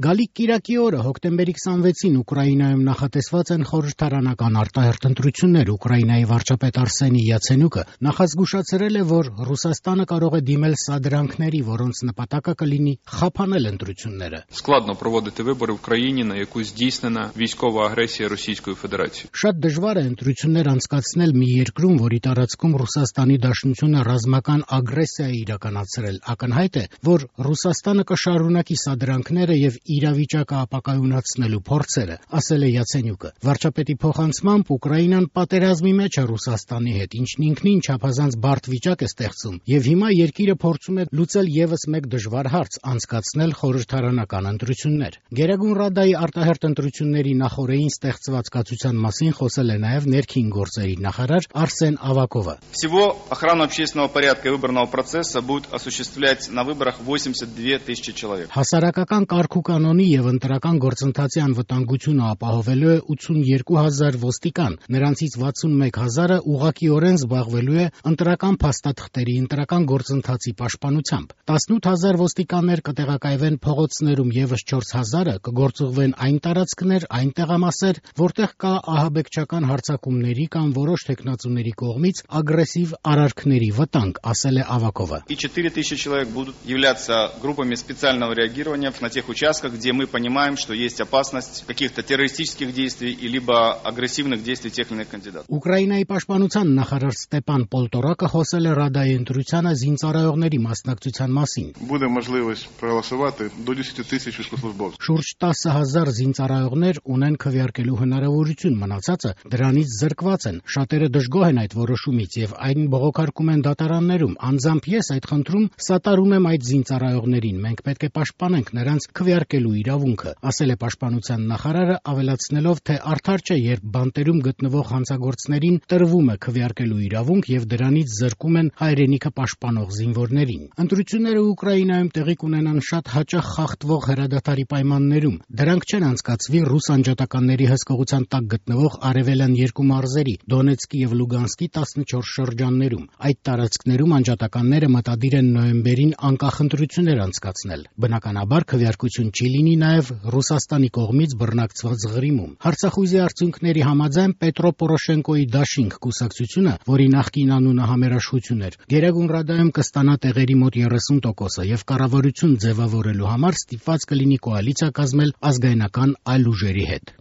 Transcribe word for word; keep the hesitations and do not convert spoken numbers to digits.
Գալիք կիրակի օրը հոկտեմբերի քսանվեցին Ուկրաինայում նախատեսված են խորհրդարանական արտահերթ ընտրություններ։ Ուկրաինայի վարչապետ Արսենի Յացենյուկը նախազգուշացրել է, որ Ռուսաստանը կարող է դիմել սադրանքների, որոնց նպատակը կլինի խափանել ընտրությունները։ Складно проводити вибори в країні, на яку здійснена військова агресія Російської Федерації. Շատ դժվար է ընտրություններ անցկացնել մի երկրում, որի տարածքում Ռուսաստանի Դաշնությունը ռազմական ագրեսիա է իրականացրել։ Ակնհայտ է, որ Ռուսաստանը կշարունակի սադրանքները եւ իրավիճակը ապակայունացնելու փորձերը, ասել է Յացենյուկը։ Վարչապետի փոխանցմամբ Ուկրաինան պատերազմի մեջ է Ռուսաստանի հետ, ինչն ինքնին չափազանց բարդ վիճակ է ստեղծում, եւ հիմա երկիրը փորձում է լուծել եւս մեկ դժվար հարց՝ անցկացնել խորհրդարանական ընտրություններ։ Գերագույն Ռադայի արտահերթ ընտրությունների նախօրեին ստեղծված կացության մասին խոսել է նաեւ ներքին գործերի նախարար Արսեն Ավակովը։ Всего охрану общественного порядка и выборного процесса будут осуществлять на выборах восемьдесят две тысячи человек. Հասարակական կարգու կանոնի եւ ընտրական գործընթացի անվտանգությունը ապահովելու է ութսունյերկու հազար ոստիկան, նրանցից վաթսունմեկ հազարը ուղղակիորեն զբաղվելու է ընտրական փաստաթղթերի ընտրական գործընթացի պաշտպանությամբ։ տասնութ հազար ոստիկաններ կտեղակայվեն փողոցներում, եւս չորս հազարը կգործուղվեն այն տարածքներ, այն տեղամասեր, որտեղ կա ահաբեկչական հարձակումների կամ որոշ թեկնածուների կողմից ագրեսիվ արարքների վտանգ, ասել է Ավակովը։ И четыре тысячи человек будут являться группами специального реагирования на тех участках, где мы понимаем, что есть опасность каких-то террористических действий и либо агрессивных действий тех или иных кандидатов. Ուկրաինայի պաշտպանության նախարար Ստепան Պոլտորակը խոսել է Ռադայի ընտրությանը զինծառայողների մասնակցության մասին։ Буде можливість проголосувати до десять тисяч військовослужбовців. Շուրջ տասը հազար զինծառայողներ ունեն քվեարկելու հնարավորություն, մնացածը դրանից զրկված են։ Շատերը դժգոհ են այդ որոշումից եւ այն բողոքարկում են դատարաններում։ Անձամբ ես այդ խնդրում սատարում եմ այդ զինծառայողներին։ Մենք պետք է պաշտպանենք նրանց քվեարկելու իրավունքը, ասել է պաշտպանության նախարարը, ավելացնելով, թե արդար չէ, երբ բանտերում գտնվող հանցագործներին տրվում է քվեարկելու իրավունք եւ դրանից զրկում են հայրենիքը պաշտպանող զինվորներին։ Ընտրությունները Ուկրաինայում տեղի կունենան շատ հաճախ խախտվող հրադադարի պայմաններում։ Դրանք չեն անցկացվի ռուս անջատականների հսկողության տակ գտնվող արևելյան երկու մարզերի՝ Դոնեցկի եւ Լուգանսկի տասնչորս շրջաններում։ Այդ տարածքներում անջատականները մտադիր են նոյեմբերին անկախ ընտրություններ անցկացնել։ Բնականաբար քվեարկություն չի լինի նաև Ռուսաստանի կողմից բռնակցված Ղրիմում։ Հարցախույզի արդյունքների համաձայն Պետրո Պորոշենկոյի դաշինք կուսակցությունը, որի նախկին անունը Համերաշխություն էր, Գերագույն Ռադայում կստանա տեղերի մոտ երեսուն տոկոսը եւ կառավարություն ձևավորելու համար ստիպված կլինի կոալիցիա կազմել ազգայնական այլ ուժերի հետ։